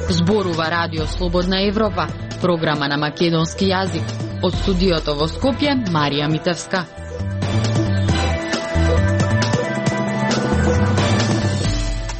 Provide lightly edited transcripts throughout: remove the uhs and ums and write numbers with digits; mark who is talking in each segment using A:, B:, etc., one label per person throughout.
A: Зборува Радио Слободна Европа, програма на македонски јазик. Од студиото во Скопје, Марија Митевска.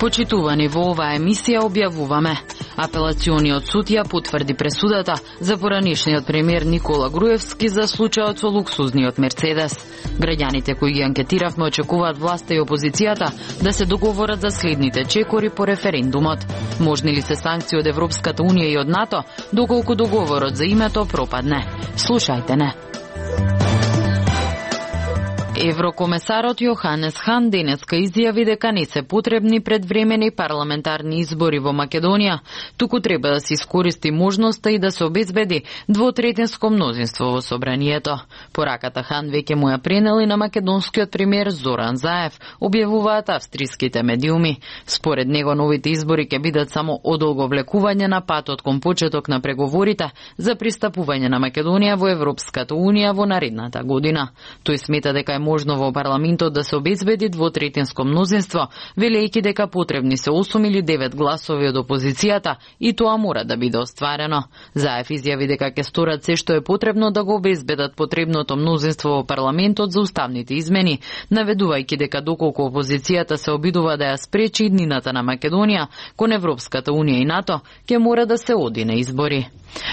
A: Почитувани, во оваа емисија објавуваме: Апелациониот суд ја потврди пресудата за поранишниот премиер Никола Груевски за случајот со луксузниот Мерцедес. Граѓаните кои ги анкетиравме очекуваат власта и опозицијата да се договорат за следните чекори по референдумот. Можни ли се санкции од Европската Унија и од НАТО доколку договорот за името пропадне? Слушајте не. Еврокомесарот Јоханес Хан денеска изјави дека не се потребни предвремени парламентарни избори во Македонија, туку треба да се искористи можноста и да се обезбеди двотретинско мнозинство во собранието. Пораката Хан веќе му ја пренели на македонскиот премиер Зоран Заев, објавуваат австриските медиуми. Според него новите избори ќе бидат само одолго влекување на патот кон почеток на преговорите за пристапување на Македонија во Европската Унија во наредната година. Тој смета дека е можно во парламентот да се обезбеди двотретинско мнозинство, велејќи дека потребни се 8 или 9 гласови од опозицијата и тоа мора да биде остварено. Заев изјави дека ќе сторат се што е потребно да го обезбедат потребното мнозинство во парламентот за уставните измени, наведувајќи дека доколку опозицијата се обидува да ја спречи иднината на Македонија кон Европската Унија и НАТО, ќе мора да се оди на избори.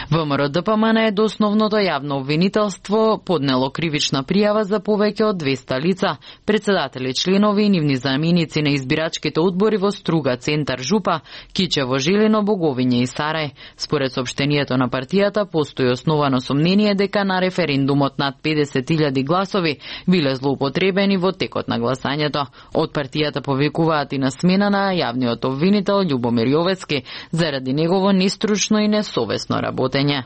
A: ВМРО-ДПМН е до основното јавно обвинителство поднело кривична пријава за повеќе од 200 лица, председатели, членови и нивни заменици на избирачките одбори во Струга, Центар, Жупа, Кичево, Жилино, Боговиње и Сарај. Според соопштението на партијата, постои основано сомнение дека на референдумот над 50.000 гласови биле злоупотребени во текот на гласањето. Од партијата повикуваат и на смена на јавниот обвинител Љубомир Јовецки заради негово нестручно и несовесно работење.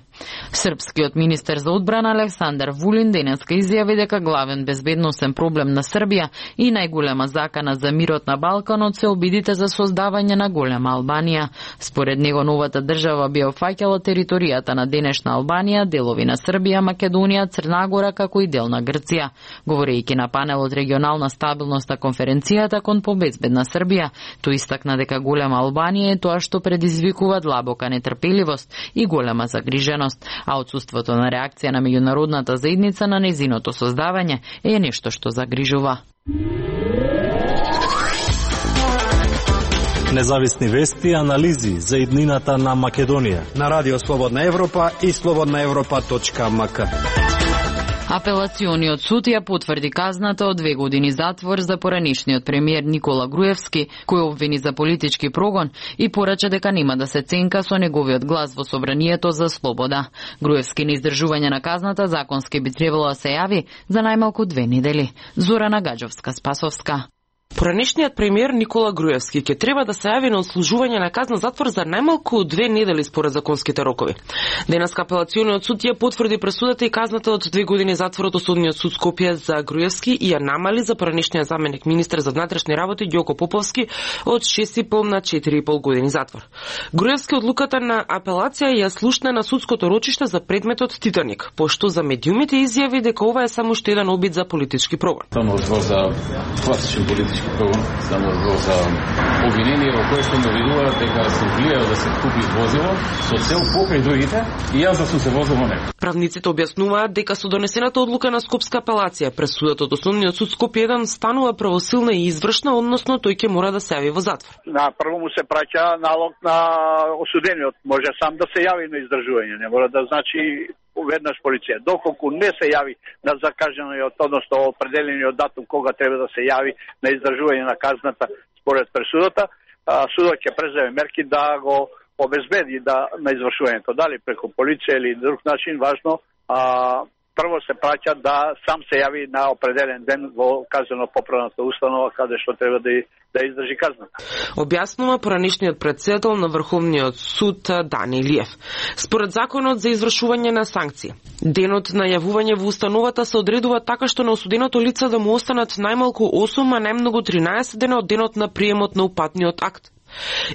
A: Српскиот министер за одбрана Александар Вулин денеска изјави дека главен безбедносен проблем на Србија и најголема закана за мирот на Балканот се обидите за создавање на голема Албанија. Според него новата држава би опфаќала територијата на денешна Албанија, делови на Србија, Македонија, Црна Гора како и дел на Грција. Говорејќи на панелот регионална стабилност на конференцијата кон побезбедна Србија, тој истакна дека голема Албанија е тоа што предизвикува длабока нетрпеливост и голема загриженост, а отсуството на реакција на меѓународната заедница на нејзиното создавање е нешто што загрижува.
B: Независни вести и анализи за иднината на Македонија
C: на Радио Слободна Европа и slobodnaevropa.mk.
A: Апелациониот суд ја потврди казната од 2 години затвор за поранишниот премиер Никола Груевски, кој обвини за политички прогон и порача дека нема да се ценка со неговиот глас во собранието за слобода. Груевски на издржување на казната законски би требало да се јави за најмалку 2 недели. Зорана Гаджовска-Спасовска.
D: Поранешниот премиер Никола Груевски ќе треба да се јави на отслужување на казна затвор за најмалку 2 недели според законските рокови. Денеска апелациониот суд ја потврди пресудата и казната од 2 години затвор од Осудниот суд Скопје за Груевски и ја намали за поранешниот заменик министер за внатрешни работи Ѓоко Поповски од 6,5 на 4,5 години затвор. Груевски одлуката на апелација ја слушна на судското рочиште за предметот Титаник, пошто за медиумите изјави дека ова е само уште еден обид за политички прогон.
E: Само за класичен политички прогон, само за обвинение во кое што наведува дека се влијае да се купи возило со цел покрај другите и јас да сум се возил во него.
D: Правниците објаснуваат дека со донесената одлука на Скопска апелација пресудата од Основниот суд Скопје 1 станува правосилна и извршна, односно тој ќе мора да се јави во затвор.
F: На прво му се праќа налог на осудениот, може сам да се јави на издржување, не мора да значи веднаш полиција. Доколку не се јави на закажаниот, односно определениот датум кога треба да се јави на издржување на казната според пресудата, судот ќе преземе мерки да го обезбеди на извршувањето. Дали преку полиција или друг начин, важно, прво се праќа да сам се јави на определен ден во казнено-поправната установа каде што треба да издржи казната.
D: Објаснува поранешниот претседател на Врховниот суд Дани Илиев. Според законот за извршување на санкции, денот на јавување во установата се одредува така што на осуденото лице да му останат најмалку 8, а најмногу 13 дена од денот на приемот на упатниот акт.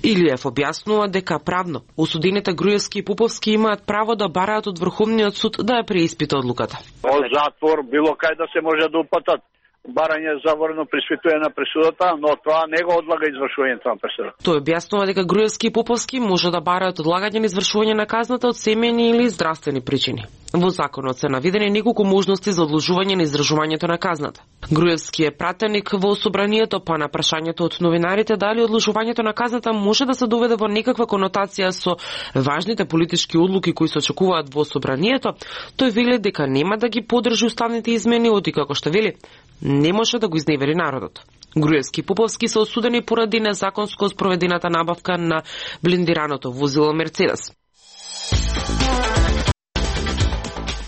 D: Илиев објаснува дека правно осудените Груевски и Поповски имаат право да бараат од Врховниот суд да ја преиспита одлуката.
F: Во затвор било кај да се може да упатат. Барање за ворно преиспитување на пресудата, но тоа не го одлага извршувањето на пресудата.
D: Тој објаснува дека Груевски и Поповски може да бараат одлагање на извршување на казната од семејни или здравствени причини. Во законот се наведени неколку можности за одложување на издржувањето на казната. Груевски е пратеник во собранието, па на прашањето од новинарите дали одложувањето на казната може да се доведе во некаква конотација со важните политички одлуки кои се очекуваат во собранието, тој вели дека нема да ги поддржи уставните измени, оти како што вели не може да го изневери народот. Груевски и Поповски се осудени поради незаконско спроведената набавка на блиндираното возило Мерцедес.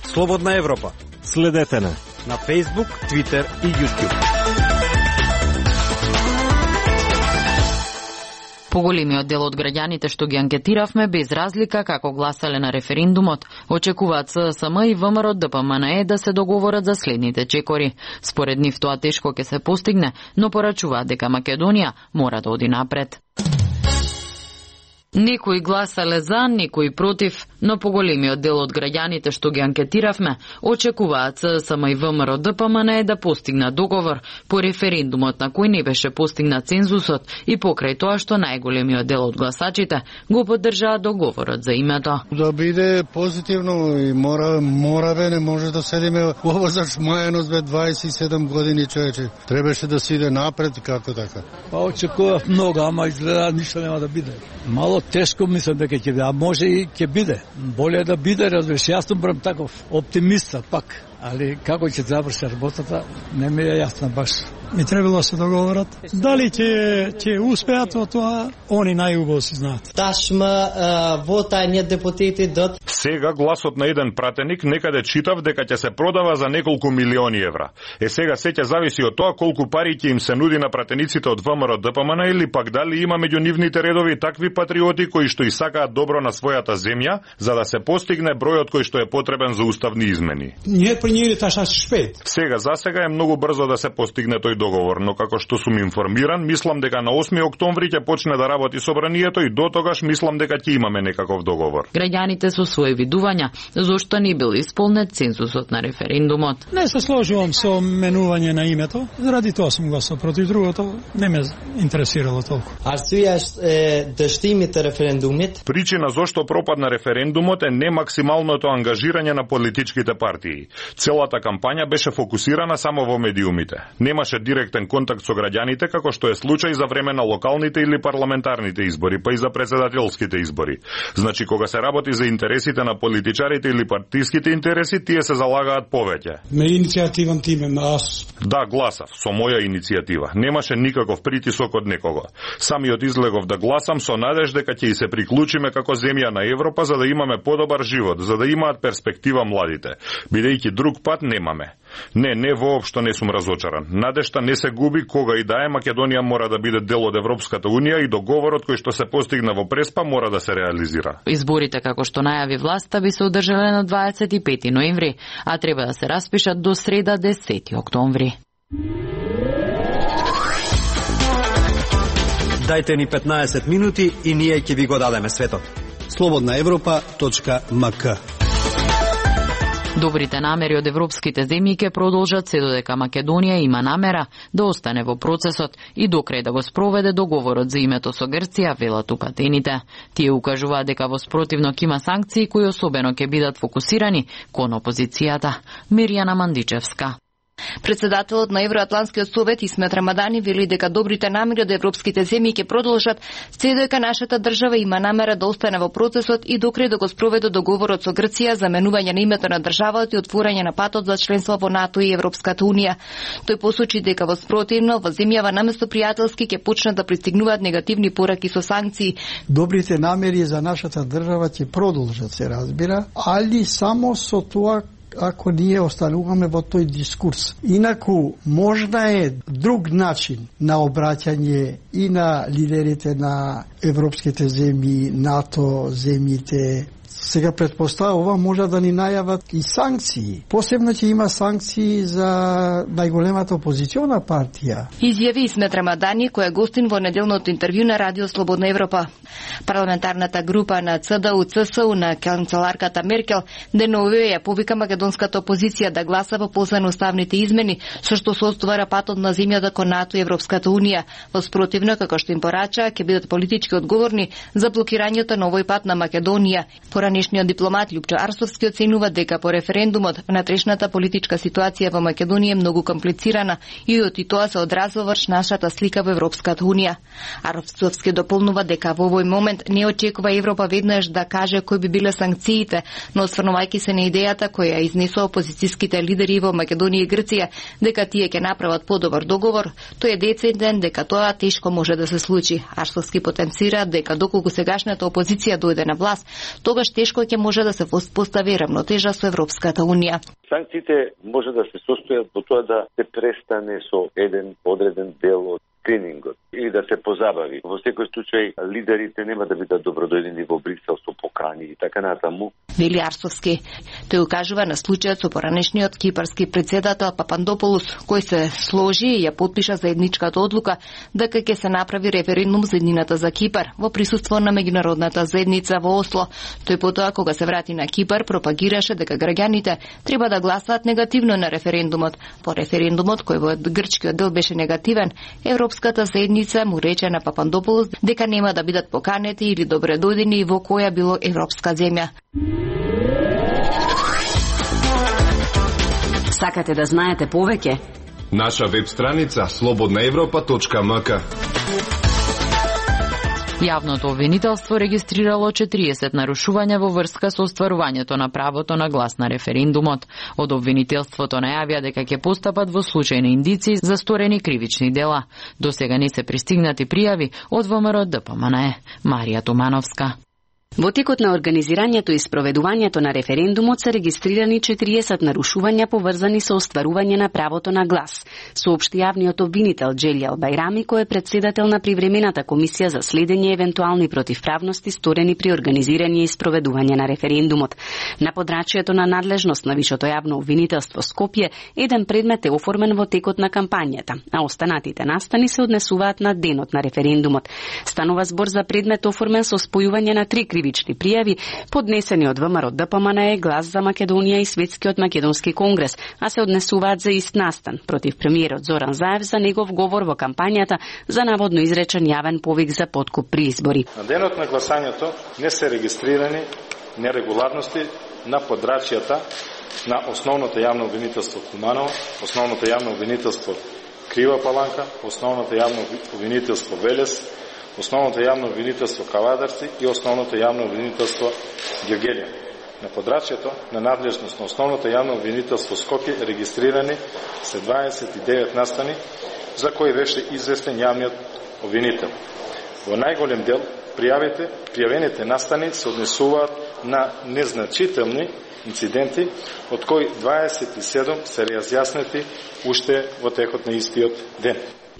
C: Слободна Европа.
B: Следете на
C: Facebook, Twitter и YouTube.
A: Поголемиот дел од граѓаните што ги анкетиравме без разлика како гласале на референдумот, очекуваат СДСМ и ВМРО ДПМНЕ да се договорат за следните чекори. Според нив тоа тешко ќе се постигне, но порачуваат дека Македонија мора да оди напред. Некои гласале за, некои против, но поголемиот дел од граѓаните што ги анкетиравме очекуваат СДСМ и ВМРО ДПМНЕ да постигнат договор по референдумот на кој не беше постигнат цензусот и покрај тоа што најголемиот дел од гласачите го поддржаат договорот за името.
G: Да биде позитивно и мора не може да седиме ово за смајаност бе 27 години човече. Требаше да се иде напред како така.
H: Па очекував многу, ама изгледа ништо нема да биде. Мало тешко мислам дека ќе биде, а може и ќе биде. Боле да биде, разбираш, јас сум таков оптимиста пак, али како ќе заврши работата, не ми е јасно баш.
I: Ми требало се договорат. Дали ќе успеат во тоа, они најубаво си знаат.
J: Ташма вотање депутати дот.
K: Сега гласот на еден пратеник некаде читав дека ќе се продава за неколку милиони евра. Сега се ќе зависи од тоа колку пари ќе им се нуди на пратениците од ВМРО ДПМН или пак дали има меѓу нивните редови такви патриоти кои што и сакаат добро на својата земја, за да се постигне бројот кој што е потребен за уставни измени.
I: Ние прињели таа шпет.
K: Сега за сега е многу брзо да се постигне тој договор, но како што сум информиран, мислам дека на 8 октомври ќе почне да работи собранието и до тогаш мислам дека ќе имаме некаков договор.
A: Граѓаните со своји видувања зошто не бил исполнет цензусот на референдумот.
I: Не се сложувам со менување на името, заради тоа сум гласал против, другото не ме интересирало толку.
J: Арсуја да штимите референдумит.
K: Причина зошто пропадна референдумот е не максималното ангажирање на политичките партии. Целата кампања беше фокусирана само во медиумите. Немаше директен контакт со граѓаните како што е случај за време на локалните или парламентарните избори, па и за председателските избори. Значи кога се работи за интересите на политичарите или партиските интереси, тие се залагаат повеќе.
I: Ме иницијативен тиме на аз.
K: Да, гласав со моја иницијатива. Немаше никаков притисок од некого. Самиот излегов да гласам со надеж дека ќе и се приклучиме како земја на Европа за да имаме подобар живот, за да имаат перспектива младите, бидејќи друг пат немаме. Не воопшто не сум разочаран. Надежта не се губи кога и да е Македонија мора да биде дел од Европската унија и договорот кој што се постигна во Преспа мора да се реализира.
A: Изборите како што најави власта би се одржале на 25 ноември, а треба да се распишат до среда 10 октомври.
C: Дајте ни 15 минути и ние ќе ви го дадеме светот.
G: slobodnaevropa.mk.
A: Добрите намери од европските земји ќе продолжат се додека Македонија има намера да остане во процесот и докрај да го спроведе договорот за името со Грција, велат упатените. Тие укажуваат дека во спротивно ќе има санкции кои особено ќе бидат фокусирани кон опозицијата. Миријана Мандичевска.
L: Председателот на Евроатланскиот совет Исмет Рамадани вели дека добрите намери од европските земји ќе продолжат се дека нашата држава има намера да остане во процесот и докрај да го спроведе договорот со Грција за менување на името на државата и отворање на патот за членство во НАТО и Европската унија. Тој посочи дека во спротивно во земјава наместо пријателски ќе почнат да пристигнуваат негативни пораки со санкции.
M: Добрите намери за нашата држава ќе продолжат, се разбира, али само со тоа ако ние остануваме во тој дискурс. Инаку, можна е друг начин на обраќање и на лидерите на европските земји, НАТО, земјите, Сега претпоставува може да ни најават и санкции. Посебно ќе има санкции за најголемата опозициона партија.
L: Изјави Исмет Рамадани, кој е гостин во неделното интервју на Радио Слободна Европа. Парламентарната група на ЦДУ-ЦСУ на канцеларката Меркел деновиве ја повика македонската опозиција да гласа во полза на уставните измени, со што се оствара патот на земјата кон НАТО и Европската унија. Во спротивно, како што им порача, ќе бидат политички одговорни за блокирањето на овој пат на Македонија. Поранешниот дипломат Љупчо Арсовски оценува дека по референдумот внатрешната политичка ситуација во Македонија е многу комплицирана и од тоа се одразува врз нашата слика во Европската унија. Арсовски дополнува дека во овој момент не очекува Европа веднаш да каже кои би биле санкциите, но осврнувајќи се на идејата која изнесува опозицијските лидери во Македонија и Грција дека тие ќе направат подобар договор, тој е дециден дека тоа тешко може да се случи. Арсовски потенцира дека доколку сегашната опозиција дојде на власт, тогаш тешко ќе може да се воспостави равнотежа со Европската унија.
N: Санкциите може да се состојат во тоа да се престане со еден одреден дел од скринингот или да се позабави. Во секој случај лидерите нема да бидат добродојдени во Брисел со покани и така натаму.
L: Вели Арсовски. Тој укажува на случајот со поранешниот кипарски председател Папандополус, кој се сложи и ја потпиша заедничката одлука дека ќе се направи референдум за еднината за Кипар во присуство на меѓународната заедница во Осло. Тој потоа кога се врати на Кипар пропагираше дека граѓаните треба да гласаат негативно на референдумот. По референдумот кој во грчкиот дел беше негативен, Европската заедница му рече на Папандополус дека нема да бидат поканети или добредојдени во која било европска земја.
O: Сакате да знаете повеќе?
P: Наша веб страница slobodnaevropa.mk.
A: Јавното обвинителство регистрирало 40 нарушувања во врска со остварувањето на правото на глас на референдумот. Од обвинителството најавија дека ќе постапат во случај на индици за сторени кривични дела. До сега не се пристигнати пријави од ВМРО ДПМНЕ. Марија Тумановска.
O: Во текот на организирањето и спроведувањето на референдумот се регистрирани 40 нарушувања поврзани со остварување на правото на глас, соопшти јавниот обвинител Џелјал Бајрами, кој е председател на привремената комисија за следење евентуални противправности сторени при организирање и спроведување на референдумот. На подрачјето на надлежност на Вишото јавно обвинителство Скопје, еден предмет е оформен во текот на кампањата, а останатите настани се однесуваат на денот на референдумот. Станува збор за предмет оформен со спојување на 3 кривични пријави, поднесени од ВМРО ДПМНЕ, Глас за Македонија и Светскиот македонски конгрес, а се однесуваат за ист настан против премиерот Зоран Заев за негов говор во кампањата за наводно изречен јавен повик за подкуп при избори.
Q: На денот на гласањето не се регистрирани нерегуларности на подрачјата на основното јавно обвинителство Куманово, основното јавно обвинителство Крива Паланка, основното јавно обвинителство Велес, основното јавно обвинителство Кавадарци и основното јавно обвинителство Георгелија. На подрачјето на надлежност на основното јавно обвинителство Скопје регистрирани се 29 настани за кои беше известен јавниот обвинител. Во најголем дел пријавените настани се однесуваат на незначителни инциденти, од кои 27 се разјаснети уште во текот на истиот ден.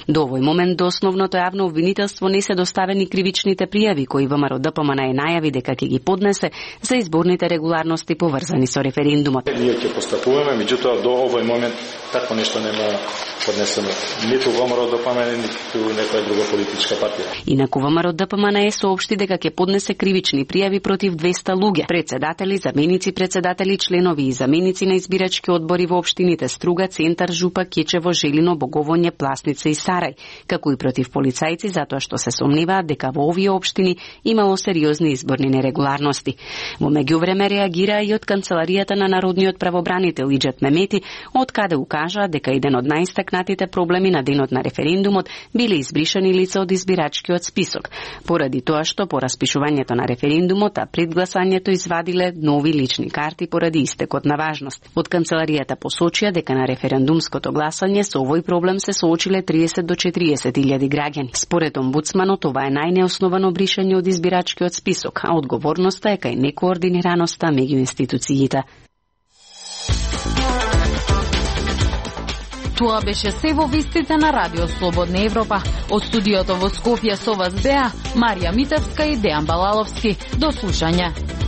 O: До овој момент до основното јавно обвинителство не се доставени кривичните пријави кои ВМРО ДПМНЕ најави дека ќе ги поднесе за изборните регуларности поврзани со референдумот.
Q: Ние ќе постапуваме, меѓутоа до овој момент такво нешто нема поднесено ниту ВМРО ДПМНЕ, ниту некоја друга политичка партија.
O: Инаку ВМРО ДПМНЕ соопшти дека ќе поднесе кривични пријави против 200 луѓе, председатели, заменици председатели, членови и заменици на избирачки одбори во општините Струга, Центар, Жупа, Кечево, Желино, Боговоње, Пласница и Сарај, како и против полицајци затоа што се сомневаат дека во овие општини имало сериозни изборни нерегуларности. Во меѓувреме реагира и од канцеларијата на народниот правобранител Иџет Мемети, од каде укажа дека еден од најстакнатите проблеми на денот на референдумот биле избришани лица од избирачкиот список, поради тоа што по распишувањето на референдумот, а пред гласањето извадиле нови лични карти поради истекот на важност. Од канцеларијата посочија дека на референдумското гласање со овој проблем се соочиле 30 до 40.000 граѓани. Според омбудсманот, ова е најнеосновано бришање од избирачкиот список, а одговорноста е кај некоординираноста меѓу институциите.
A: Тоа беше се во вестите на Радио Слободна Европа. Од студиото во Скопје со вас беа Марија Митевска и Дејан Балаловски. До слушање.